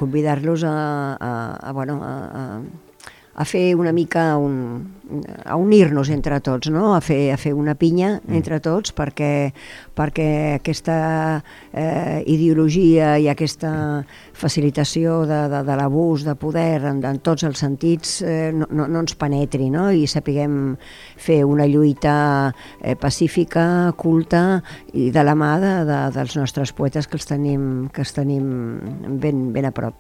convidar-los a fer una mica, a unir-nos entre tots, no? A fer una pinya entre tots perquè aquesta ideologia i aquesta facilitació de l'abús de poder en tots els sentits no ens penetri, no? I sapiguem fer una lluita pacífica, culta i de la mà dels nostres poetes que els tenim ben a prop.